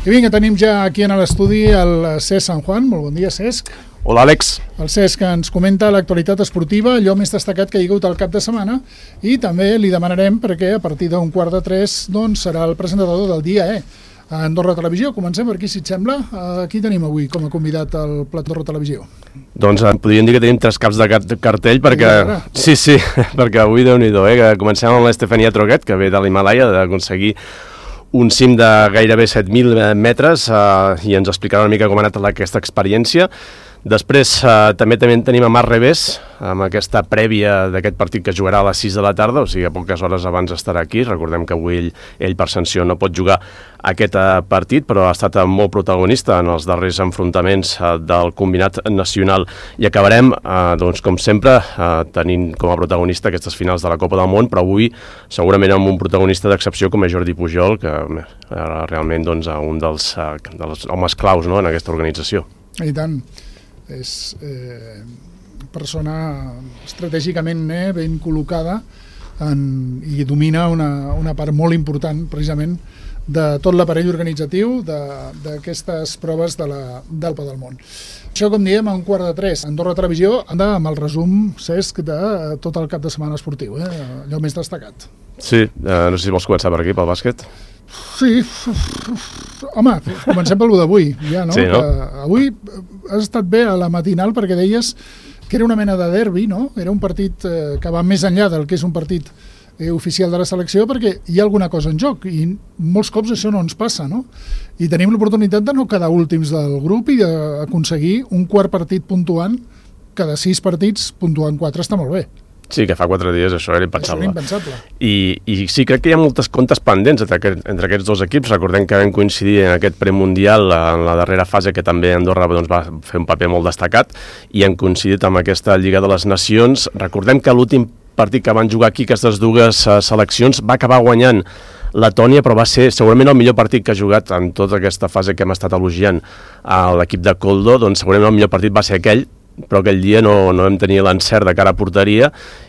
I vinga, tenim ja aquí en l'estudi el Cesc San Juan. Molt bon dia, Cesc. Hola, Àlex. El Cesc ens comenta l'actualitat esportiva, allò més destacat que hi ha hagut al cap de setmana, i també li demanarem perquè a partir d'un 2:45 doncs, serà el presentador del dia a Andorra Televisió. Comencem per aquí, si et sembla. Qui tenim avui com a convidat al Plat Andorra Televisió? Doncs podríem dir que tenim 3 caps de cartell perquè... Sí, perquè avui, Déu-n'hi-do, que comencem amb l'Estefania Troguet, que ve de l'Himàlaia, d'aconseguir un cim de gairebé 7.000 metres i ens explicarà una mica com ha anat aquesta experiència. Després també tenim a Marc Revés amb aquesta prèvia d'aquest partit que jugarà a les 6 de la tarda, o sigui, a poques hores abans estarà aquí. Recordem que avui ell per sanció no pot jugar aquest partit, però ha estat molt protagonista en els darrers enfrontaments del combinat nacional. I acabarem, doncs, com sempre, tenint com a protagonista aquestes finals de la Copa del Món, però avui segurament amb un protagonista d'excepció com és Jordi Pujol, que realment doncs, un dels homes claus, no?, en aquesta organització. I tant. És persona estratègicament ben col·locada i domina una part molt important precisament de tot l'aparell organitzatiu d'aquestes proves del Copa del Món. Això, com diem, a 2:45. Andorra Televisió anda amb el resum, Cesc, de tot el cap de setmana esportiu, allò més destacat. Sí, no sé si vols començar per aquí, pel bàsquet. Sí, home, comencem pel d'avui, ja, no? Sí, no? Avui has estat bé a la matinal perquè deies que era una mena de derbi, no? Era un partit que va més enllà del que és un partit oficial de la selecció, perquè hi ha alguna cosa en joc i molts cops això no ens passa, no? I tenim l'oportunitat de no quedar últims del grup i d'aconseguir un quart partit puntuant, cada 6 partits puntuant 4 està molt bé. Sí, que fa 4 dies això era impensable. I sí, crec que hi ha moltes comptes pendents entre aquests dos equips. Recordem que vam coincidir en aquest premundial en la darrera fase, que també Andorra doncs, va fer un paper molt destacat, i hem coincidit amb aquesta Lliga de les Nacions. Recordem que l'últim partit que van jugar aquí, aquestes dues seleccions, va acabar guanyant Letònia, però va ser segurament el millor partit que ha jugat en tota aquesta fase que hem estat elogiant a l'equip de Koldo. Doncs segurament el millor partit va ser aquell, però aquell dia no vam tenir l'encert de cara a porteria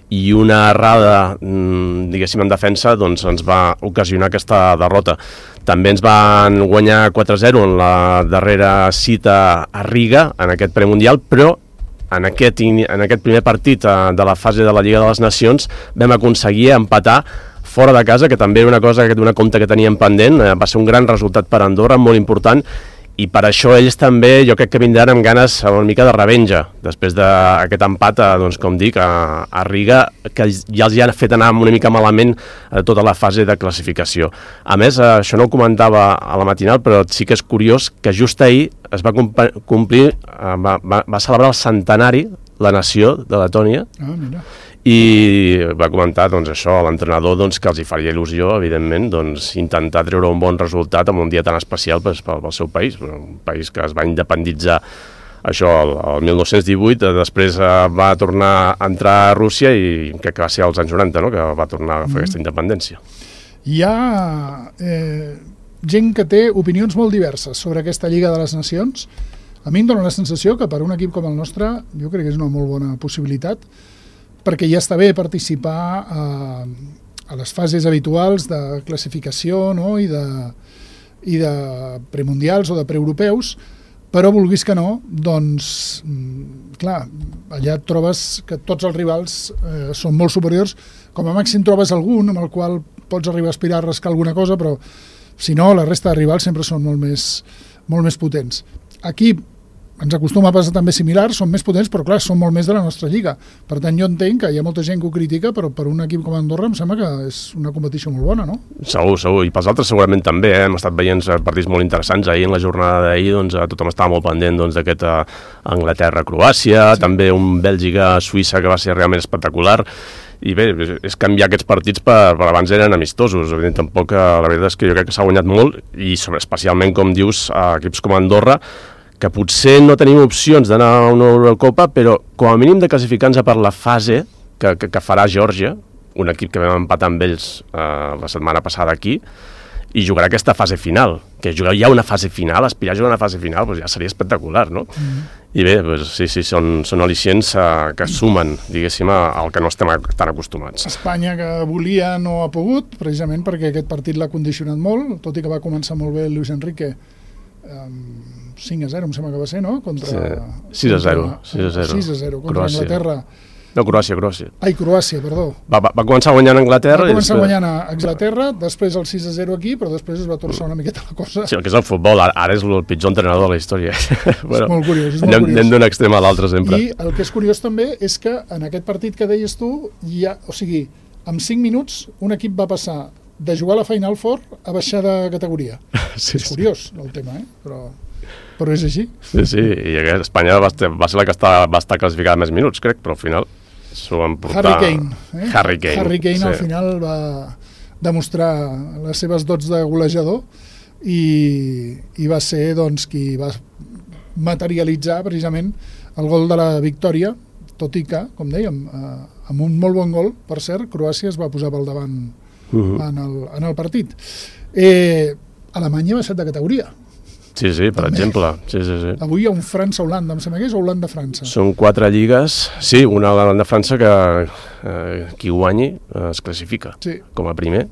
i una errada, diguéssim, en defensa doncs ens va ocasionar aquesta derrota. També ens van guanyar 4-0 en la darrera cita a Riga, en aquest premundial, però en aquest primer partit de la fase de la Lliga de les Nacions vam aconseguir empatar fora de casa, que també era una cosa d'una compte que teníem pendent. Va ser un gran resultat per Andorra, molt important, i per això ells també, jo crec que vindran amb ganes una mica de revenja, després d'aquest empat, doncs, com dic, a Riga, que ja els ha fet anar una mica malament tota la fase de classificació. A més, això no ho comentava a la matinal, però sí que és curiós que just ahir es va complir, va celebrar el centenari la nació de Letònia, i va comentar doncs, això a l'entrenador, doncs, que els hi faria il·lusió, evidentment, doncs, intentar treure un bon resultat en un dia tan especial pel seu país, un país que es va independitzar això el 1918, després va tornar a entrar a Rússia i crec que va ser als anys 90, no?, que va tornar a agafar aquesta independència. Hi ha gent que té opinions molt diverses sobre aquesta Lliga de les Nacions. A mi em dóna la sensació que per un equip com el nostre jo crec que és una molt bona possibilitat, perquè ja està bé participar a les fases habituals de classificació, no?, i de premundials o de preeuropeus, però vulguis que no, doncs, clar, allà et trobes que tots els rivals són molt superiors. Com a màxim trobes algun amb el qual pots arribar a aspirar a rascar alguna cosa, però si no, la resta de rivals sempre són molt més potents. Aquí ens acostuma a passar també similar, són més potents, però clar, són molt més de la nostra lliga. Per tant, jo entenc que hi ha molta gent que ho critica, però per un equip com Andorra em sembla que és una competició molt bona, no? Segur, i pels altres segurament també, hem estat veient partits molt interessants. Ahir, en la jornada d'ahir, doncs, tothom estava molt pendent d'aquest Anglaterra-Croàcia, també un Bèlgica-Suïssa que va ser realment espectacular. I bé, és canviar aquests partits per abans eren amistosos. Tampoc, la veritat és que jo crec que s'ha guanyat molt, i especialment, com dius, equips com Andorra, que potser no tenim opcions d'anar a una Eurocopa, però com a mínim de classificar-nos per la fase que farà Geòrgia, un equip que vam empatar amb ells la setmana passada aquí, i jugarà aquesta fase final, que jugar ja una fase final, aspirar a jugar una fase final, doncs ja seria espectacular, no? I bé, doncs, sí, són al·licients que sumen, diguéssim, al que no estem tan acostumats. Espanya, que volia, no ha pogut, precisament perquè aquest partit l'ha condicionat molt, tot i que va començar molt bé Luis Enrique, 5-0, em sembla que va ser, no? 6-0. 6-0 contra Anglaterra. No, Croàcia. Ai, Croàcia, perdó. Va començar guanyant Anglaterra. Va començar guanyant a Anglaterra, després el 6-0 aquí, però després es va torçar una miqueta la cosa. Sí, el que és el futbol, ara és el pitjor entrenador de la història. Bueno, és molt curiós, Anem d'un extrem a l'altre sempre. I el que és curiós també és que en aquest partit que deies tu, en 5 minuts un equip va passar de jugar a la Final Four a baixar de categoria. Sí, és curiós el tema, però és així. Sí, i Espanya va ser la que va estar classificada més minuts, crec, però al final s'ho van portar... Harry Kane al final va demostrar les seves dots de golejador i va ser qui va materialitzar precisament el gol de la victòria, tot i que, com dèiem, amb un molt bon gol, per cert, Croàcia es va posar pel davant en el partit. Alemanya va ser de categoria. Sí, per exemple. Sí. Avui hi ha un França-Holanda, em sembla que és Holanda-França. Són 4 lligues, sí, una Holanda-França que qui guanyi es classifica com a primer.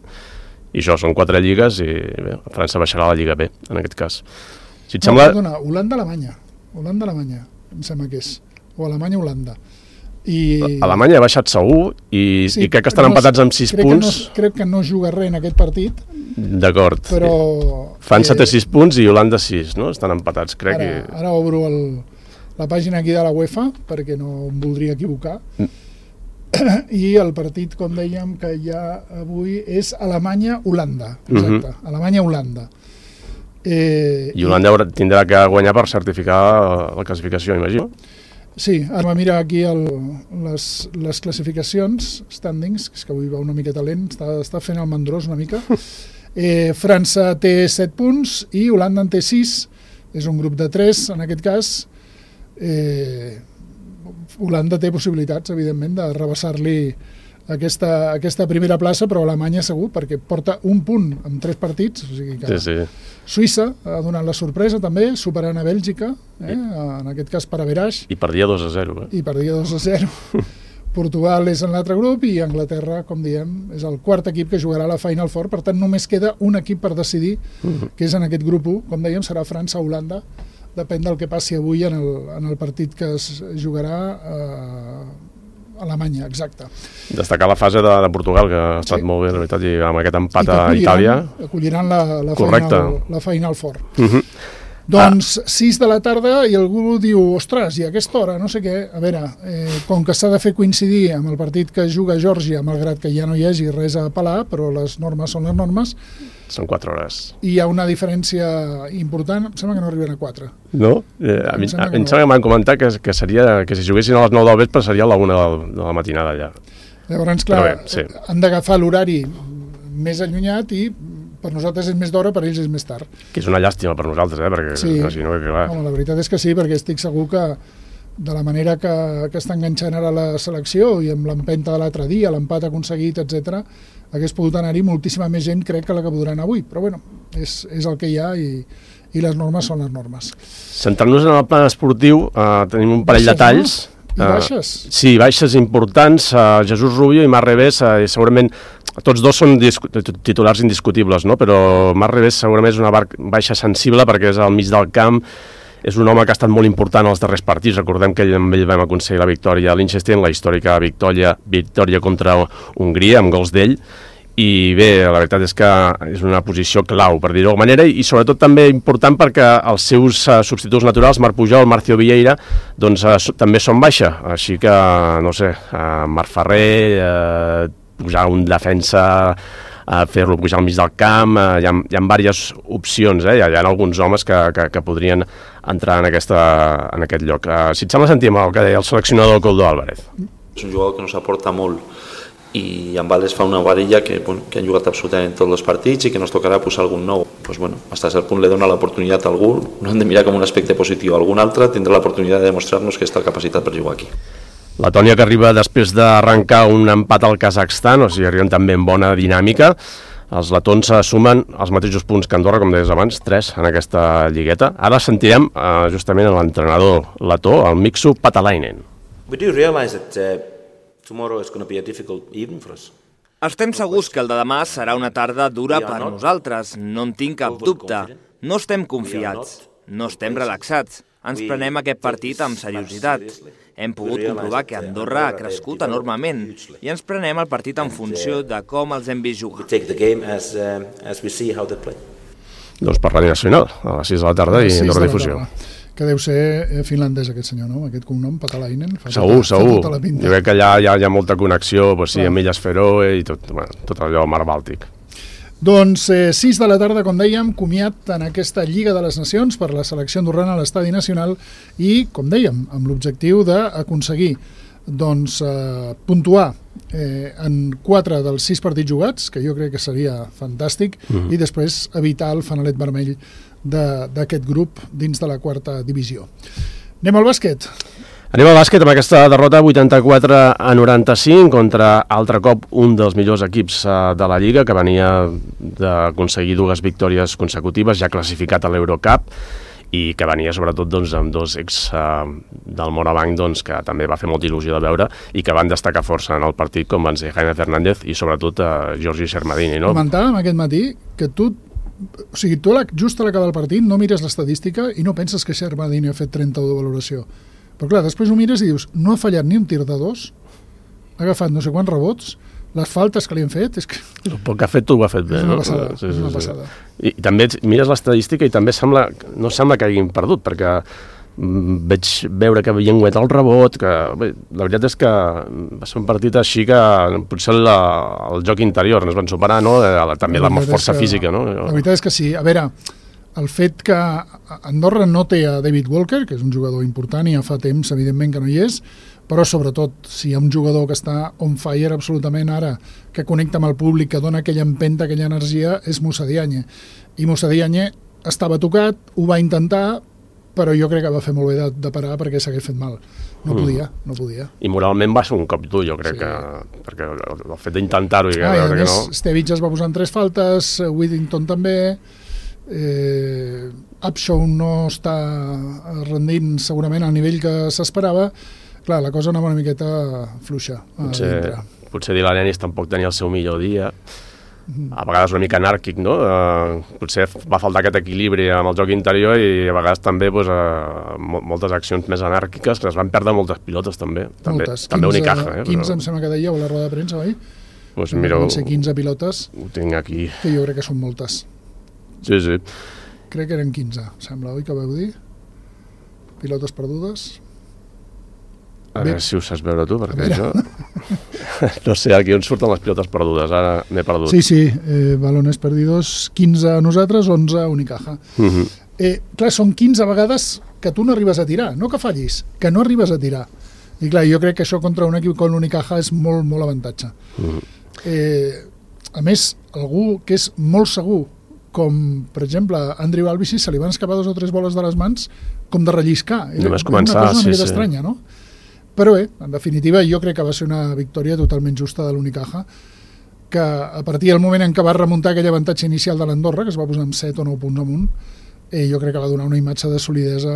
I això, són 4 lligues i bé, França baixarà a la Lliga B, en aquest cas. Si et sembla... Perdona, Holanda-Alemanya, em sembla que és, o Alemanya-Holanda. Alemanya ha baixat segur i crec que estan empatats amb 6 punts. Crec que no juga res en aquest partit. D'acord. Però... França té 6 punts i Holanda 6, no? Estan empatats, crec. Ara obro la pàgina aquí de la UEFA, perquè no em voldria equivocar. I el partit, com dèiem, que hi ha avui és Alemanya-Holanda. Exacte, Alemanya-Holanda. I Holanda tindrà que guanyar per certificar la classificació, imagino. Sí, ara mira aquí les classificacions, standings, que és que avui va una miqueta lent, està fent el mandrós una mica. França té 7 punts i Holanda en té 6, és un grup de 3 en aquest cas. Holanda té possibilitats, evidentment, de rebassar-li aquesta primera plaça, però Alemanya segur, perquè porta un punt amb 3 partits, o sigui que Suïssa ha donat la sorpresa també, superant a Bèlgica, en aquest cas per averaix. I perdia 2-0. I perdia 2-0. Portugal és en l'altre grup i Anglaterra, com diem, és el quart equip que jugarà a la Final Four, per tant només queda un equip per decidir, que és en aquest grup 1, com dèiem, serà França o Holanda, depèn del que passi avui en el partit que es jugarà Alemanya, exacte. Destacar la fase de Portugal, que ha estat molt bé, la veritat, i amb aquest empat a Itàlia. Acolliran la Final Four. Doncs 6 de la tarda i algú diu, ostres, i a aquesta hora, no sé què, a veure, com que s'ha de fer coincidir amb el partit que juga Geòrgia, malgrat que ja no hi hagi res a apel·lar, però les normes són les normes. Són 4 hores. I hi ha una diferència important, em sembla que no arriben a 4. No? A mi em sembla que m'han comentat que si juguessin a les 9 del vespre seria a la 1 de la matinada ja. Llavors, clar, han d'agafar l'horari més allunyat i per nosaltres és més d'hora, per ells és més tard. Que és una llàstima per nosaltres, perquè si no, clar. Home, la veritat és que sí, perquè estic segur que de la manera que està enganxant ara la selecció i amb l'empenta de l'altre dia, l'empat aconseguit, etc, hagués pogut anar-hi moltíssima més gent, crec, que la que podran avui. Però bueno, és el que hi ha i les normes són les normes. Centrant-nos en el plan esportiu, tenim un parell de talls. I baixes? Sí, baixes importants. Jesús Rubio i Marc Revés, segurament tots dos són titulars indiscutibles, no? Però Marc Revés segurament és una baixa sensible perquè és al mig del camp, és un home que ha estat molt important als darrers partits. Recordem que amb ell vam aconseguir la victòria a Liechtenstein, la històrica victòria contra Hongria, amb gols d'ell, i bé, la veritat és que és una posició clau, per dir-ho d'alguna manera, i sobretot també important perquè els seus substituts naturals, Marc Pujol, Marcio Vieira, doncs també són baixa, així que, no sé, Marc Ferrer, pujar un defensa, fer-lo pujar al mig del camp, hi ha diverses opcions, hi ha alguns homes que podrien entrar en aquest lloc. Si et sembla, sentim el que deia el seleccionador Koldo Álvarez. És un jugador que ens aporta molt, i amb Vales fa una varilla que han jugat absolutament tots els partits i que ens tocarà posar algun nou. Pues bueno, hasta cert punt li dona l'oportunitat a algú, no hem de mirar com un aspecte positiu, algun altre tindrà l'oportunitat de demostrar-nos que està capacitat per jugar aquí. Letònia, que arriba després d'arrencar un empat al Kazakhstan, o sigui, arriben també en bona dinàmica. Els letons sumen els mateixos punts que Andorra, com deies abans, 3 en aquesta lligueta. Ara sentirem justament l'entrenador letó, el Miksu Patalainen. We do realize that tomorrow is going to be a difficult evening for us. Estem segurs que el de demà serà una tarda dura per nosaltres, no en tinc cap dubte. No estem confiats, no estem relaxats. Ens prenem aquest partit amb seriositat. Hem pogut comprovar que Andorra ha crescut enormement i ens prenem el partit en funció de com els hem vist jugar. Doncs per Ràdio Nacional, a les 6 de la tarda i Andorra Difusió. Que deu ser finlandès aquest senyor, no? Aquest cognom, Patalainen. Segur. Jo crec que allà hi ha molta connexió, amb Illes Feroe i tot allò mar Bàltic. Doncs 6 de la tarda, com dèiem, comiat en aquesta Lliga de les Nacions per la selecció andorrana a l'Estadi Nacional i, com dèiem, amb l'objectiu d'aconseguir puntuar en 4 dels 6 partits jugats, que jo crec que seria fantàstic, i després evitar el fanalet vermell d'aquest grup dins de la 4a divisió. Anem al bàsquet. Anem al bàsquet amb aquesta derrota 84-95 contra, altre cop, un dels millors equips de la Lliga, que venia d'aconseguir 2 victòries consecutives, ja classificat a l'Eurocup, i que venia sobretot amb 2 ex del Morabanc que també va fer molta il·lusió de veure i que van destacar força en el partit, com van ser Jaime Fernández i sobretot Giorgi Shermadini. Comentàvem aquest matí que tu just a l'acabar el partit no mires l'estadística i no penses que Shermadini ha fet 31 de valoració. Però clar, després ho mires i dius, no ha fallat ni un tir de 2, ha agafat no sé quants rebots, les faltes que li han fet... És que... El poc que ha fet, ho ha fet bé. És una passada, és una passada. I també mires l'estadística i també no sembla que hagin perdut, perquè veig veure que havien guanyat el rebot, que la veritat és que va ser un partit així que potser el joc interior ens van superar, no? També la força física, no? La veritat és que sí. A veure, el fet que Andorra no té a David Walker, que és un jugador important i ja fa temps, evidentment, que no hi és, però sobretot si hi ha un jugador que està on fire absolutament ara, que connecta amb el públic, que dona aquella empenta, aquella energia, és Moussa Diagne. I Moussa Diagne estava tocat, ho va intentar, però jo crec que va fer molt bé de parar perquè s'hagués fet mal. No podia. I moralment va ser un cop dur, jo crec, perquè el fet d'intentar-ho... I a més, Stevic es va posar en 3 faltes, Whittington també... Upshaw no està rendint segurament al nivell que s'esperava. Clar, la cosa anava una miqueta fluixa. Potser Dylan Ennis tampoc tenia el seu millor dia, a vegades una mica anàrquic, no? Potser va faltar aquest equilibri amb el joc interior i a vegades també moltes accions més anàrquiques, que es van perdre moltes pilotes també. Moltes, també Unicaja. 15 em sembla que dèieu a la roda de premsa, oi? Van ser 15 pilotes, ho tinc aquí. Que jo crec que són moltes. Sí. Crec que eren 15, sembla, oi que vau dir? Pilotes perdudes. A veure si ho saps veure tu, perquè jo... No sé, aquí on surten les pilotes perdudes, ara m'he perdut. Sí, balones perdidos, 15 a nosaltres, 11 a Unicaja. Clar, són 15 vegades que tu no arribes a tirar, no que fallis, que no arribes a tirar. I clar, jo crec que això contra un equip com l'Unicaja és molt, molt avantatge. A més, algú que és molt segur, com, per exemple, Andrew Albici, se li van escapar 2 o 3 boles de les mans com de relliscar. Només començar, una cosa una mica estranya, no? Però en definitiva, jo crec que va ser una victòria totalment justa de l'Unicaja, que a partir del moment en què va remuntar aquell avantatge inicial de l'Andorra, que es va posar amb 7 o 9 punts amunt, jo crec que va donar una imatge de solidesa,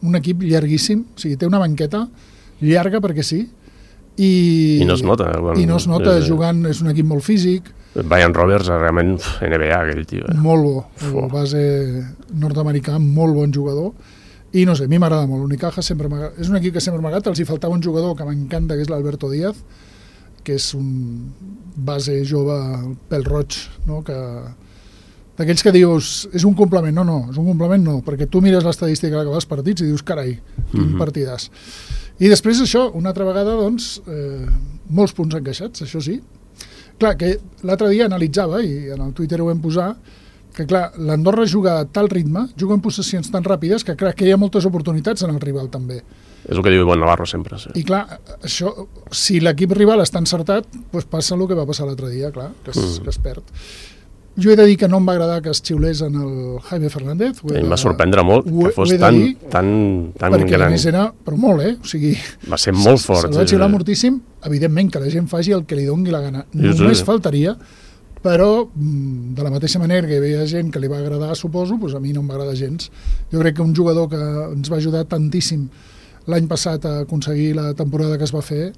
un equip llarguíssim, o sigui, té una banqueta llarga perquè sí, i no es nota. I no es nota, jugant, és un equip molt físic. Brian Roberts, realment NBA, aquell tio. Molt bo, base nord-americà, molt bon jugador. I no sé, a mi m'agrada molt. L'Unicaja és un equip que sempre m'ha agradat. Els hi faltava un jugador que m'encanta, que és l'Alberto Díaz, que és un base jove, pèl roig, no? D'aquells que dius, és un complement. No, és un complement no, perquè tu mires l'estadística a l'acabar els partits i dius, carai, quin partidàs. I després això, una altra vegada, doncs, molts punts encaixats, això sí. Clar, que l'altre dia analitzava, i en el Twitter ho vam posar, que clar, l'Andorra juga a tal ritme, juga en possessions tan ràpides, que clar, que hi ha moltes oportunitats en el rival també. És el que diu Iván Navarro sempre, sí. I clar, això, si l'equip rival està encertat, doncs passa el que va passar l'altre dia, clar, que es perd. Jo he de dir que no em va agradar que es xiulés en el Jaime Fernández. Em va sorprendre molt que fos tan gran. Perquè a més era, però molt, o sigui... Va ser molt fort. Se'l va xiular moltíssim, evidentment que la gent faci el que li doni la gana. Només faltaria, però de la mateixa manera que hi havia gent que li va agradar, suposo, doncs a mi no em va agradar gens. Jo crec que un jugador que ens va ajudar tantíssim l'any passat a aconseguir la temporada que es va fer,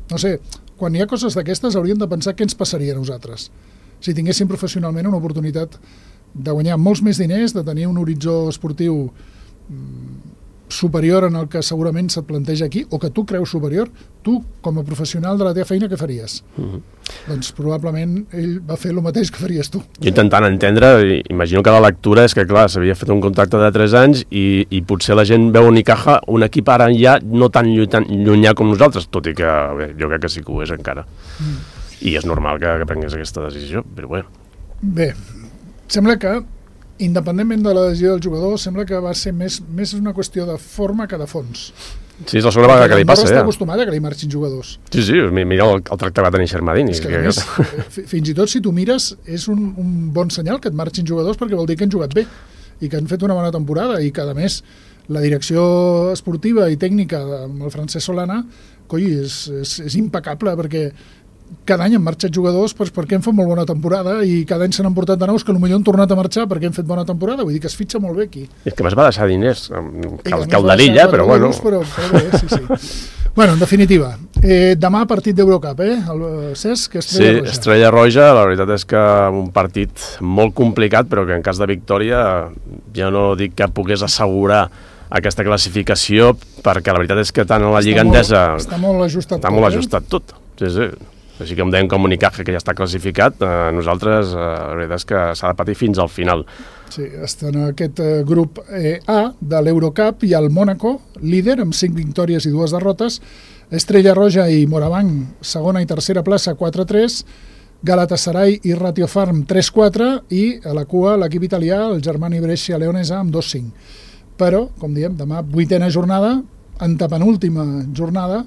no sé, quan hi ha coses d'aquestes hauríem de pensar què ens passaria a nosaltres si tinguéssim professionalment una oportunitat de guanyar molts més diners, de tenir un horitzó esportiu superior en el que segurament se't planteja aquí, o que tu creus superior, tu, com a professional de la teva feina, què faries? Doncs probablement ell va fer el mateix que faries tu. Jo intentant entendre, imagino que la lectura és que, clar, s'havia fet un contracte de 3 anys i potser la gent veu Unicaja, un equip ara ja no tan llunyà com nosaltres, tot i que bé, jo crec que sí que ho és encara. I és normal que prengués aquesta decisió, però bé. Bé, sembla que independentment de la decisió del jugador, sembla que va ser més una qüestió de forma que de fons. Sí, és la segona vegada que li passa, està acostumat a que li marxin jugadors. Sí, mira el tracte que va tenir Xermadini. És que, a més, fins i tot si tu mires, és un bon senyal que et marxin jugadors perquè vol dir que han jugat bé i que han fet una bona temporada i que, a més, la direcció esportiva i tècnica amb el Francesc Solana, és impecable perquè cada any han marxat jugadors perquè han fet molt bona temporada i cada any se n'han portat de nous que potser han tornat a marxar perquè han fet bona temporada, vull dir que es fitxa molt bé aquí. És que més va deixar diners, calderilla, però bueno. Però bé, sí. Bueno, en definitiva, demà partit d'Eurocup, el Cesc, Estrella Roja. Sí, Estrella Roja, la veritat és que un partit molt complicat, però que en cas de victòria ja no dic que pogués assegurar aquesta classificació, perquè la veritat és que tant a la Lliga Endesa està molt ajustat tot. Sí. Així que em deien com Unicaja, que ja està classificat, nosaltres, la veritat és que s'ha de patir fins al final. Sí, està en aquest grup A de l'Eurocup i el Mónaco, líder, amb 5 victòries i 2 derrotes, Estrella Roja i Moraván, segona i tercera plaça, 4-3, Galatasaray i Ratio Farm, 3-4, i a la cua l'equip italià, el Germani Brescia Leonesa, amb 2-5. Però, com diem, demà 8ª jornada, antepenúltima jornada,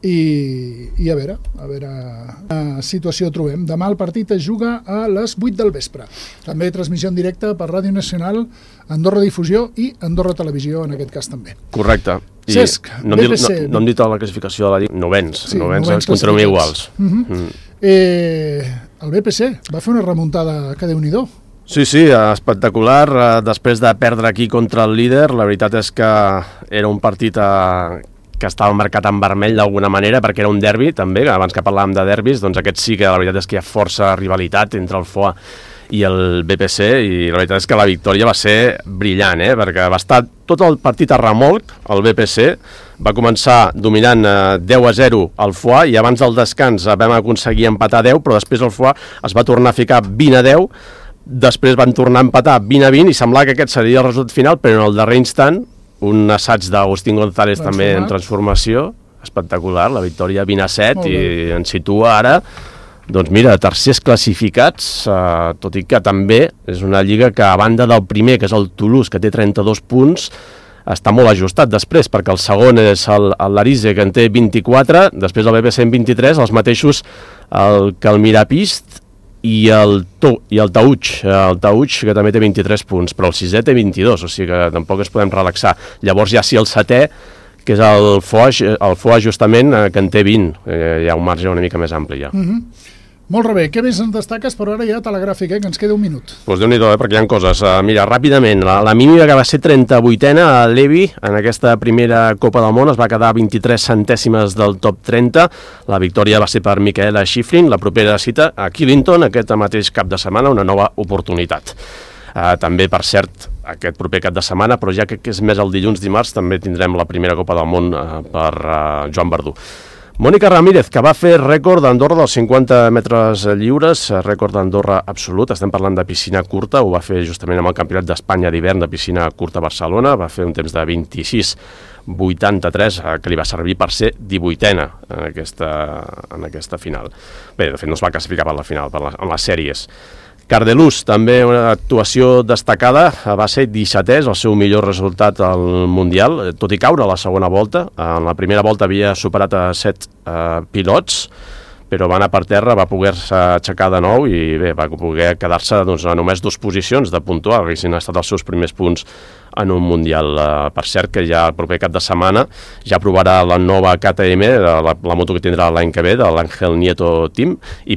i a veure quina situació trobem. Demà el partit es juga a les 8 del vespre. També transmissió en directe per Ràdio Nacional, Andorra Difusió i Andorra Televisió, en aquest cas també. Correcte. Cesc, BPC. No hem dit la classificació de la Lliga. Novens ens continuem iguals. El BPC va fer una remuntada que Déu-n'hi-do. Sí, espectacular. Després de perdre aquí contra el líder, la veritat és que era un partit que estava marcat en vermell d'alguna manera, perquè era un derbi també, abans que parlàvem de derbis, doncs aquest sí que la veritat és que hi ha força rivalitat entre el FOA i el BPC, i la veritat és que la victòria va ser brillant, perquè va estar tot el partit a remolc, el BPC va començar dominant 10-0 al FOA, i abans del descans vam aconseguir empatar 10, però després el FOA es va tornar a ficar 20-10, després van tornar a empatar 20-20, i semblava que aquest seria el resultat final, però en el darrer instant un assaig d'Agustín González també en transformació, espectacular, la victòria 20-7, i ens situa ara, doncs mira, tercers classificats, tot i que també és una lliga que a banda del primer, que és el Toulouse, que té 32 punts, està molt ajustat després, perquè el segon és l'Arise, que en té 24, després el BBC en 23, els mateixos el Calmirapist i el Tauch, que també té 23 punts, però el sisè té 22, o sigui que tampoc ens podem relaxar. Llavors ja sí el setè, que és el FOA justament, que en té 20, hi ha un marge una mica més ampli ja. Molt bé, què més en destaques? Però ara ja telegràfic, que ens queda un minut. Doncs Déu-n'hi-do, perquè hi ha coses. Mira, ràpidament, la mínima que va ser 38a a Levi, en aquesta primera Copa del Món, es va quedar 23 centèsimes del top 30. La victòria va ser per Michaela Schifrin. La propera cita a Killington, aquest mateix cap de setmana, una nova oportunitat. També, per cert, aquest proper cap de setmana, però ja que és més el dilluns-dimarts, també tindrem la primera Copa del Món per Joan Verdú. Mònica Ramírez, que va fer rècord d'Andorra dels 50 metres lliures, rècord d'Andorra absolut, estem parlant de piscina curta, ho va fer justament amb el Campionat d'Espanya d'hivern de piscina curta a Barcelona, va fer un temps de 26,83, que li va servir per ser 18a en aquesta final. Bé, de fet no es va classificar per la final, en les sèries. Cardelús, també una actuació destacada, va ser 17è, el seu millor resultat al Mundial, tot i caure a la segona volta. En la primera volta havia superat a 7 pilots, però va anar per terra, va poder-se aixecar de nou i bé, va poder quedar-se a només 2 posicions de puntuar, que haguessin estat els seus primers punts en un Mundial. Per cert, que ja el proper cap de setmana ja provarà la nova KTM, la moto que tindrà l'any que ve, de l'Ángel Nieto Team, i